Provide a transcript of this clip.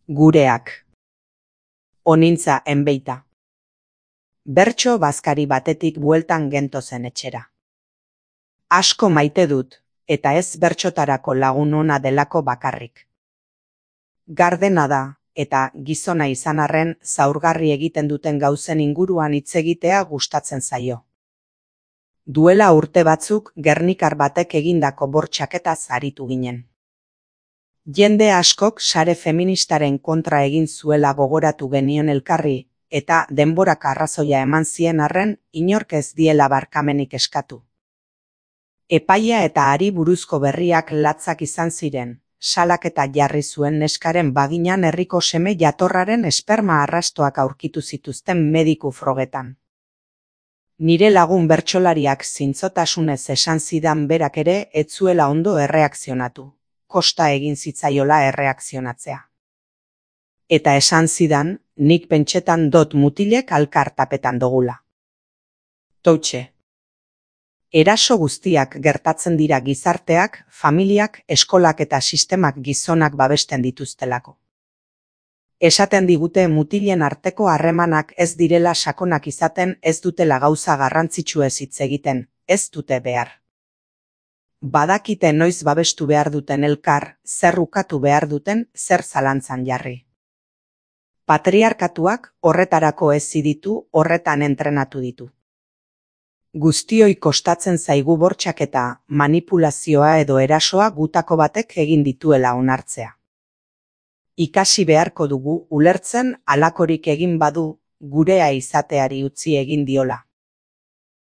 Gureak. Onintza enbeita. Bertso bazkari batetik bueltan gentozen etxera. Asko maite dut, eta ez bertsotarako lagun ona delako bakarrik. Gardena da, eta gizona izan arren zaurgarri egiten duten gauzen inguruan hitz egitea gustatzen zaio. Duela urte batzuk gernikar batek egindako bortxaketaz aritu ginen. Jende askok sare feministaren kontra egin zuela gogoratu genion elkarri, eta denborak arrazoia eman zien arren inork ez diela barkamenik eskatu. Epaia eta hari buruzko berriak latzak izan ziren, salaketa jarri zuen neskaren baginan herriko seme jatorraren esperma arrastoak aurkitu zituzten mediku frogetan. Nire lagun bertsolariak zintzotasunez esan zidan berak ere ez zuela ondo erreakzionatu. Kosta egin zitzaiola erreakzionatzea. Eta esan zidan, nik pentsetan dot mutilek alkartapetan dogula. Toutxe. Eraso guztiak gertatzen dira gizarteak, familiak, eskolak eta sistemak gizonak babesten dituztelako. Esaten digute mutilen arteko harremanak ez direla sakonak izaten, ez dutela gauza garrantzitsuez hitz egiten, ez dute behar. Badakite noiz babestu behar duten elkar, zer ukatu behar duten, zer zalantzan jarri. Patriarkatuak horretarako hezi ditu, horretan entrenatu ditu. Guztioi kostatzen zaigu bortxaketa, manipulazioa edo erasoa gutako batek egin dituela onartzea. Ikasi beharko dugu ulertzen halakorik egin badu, gurea izateari utzi egin diola.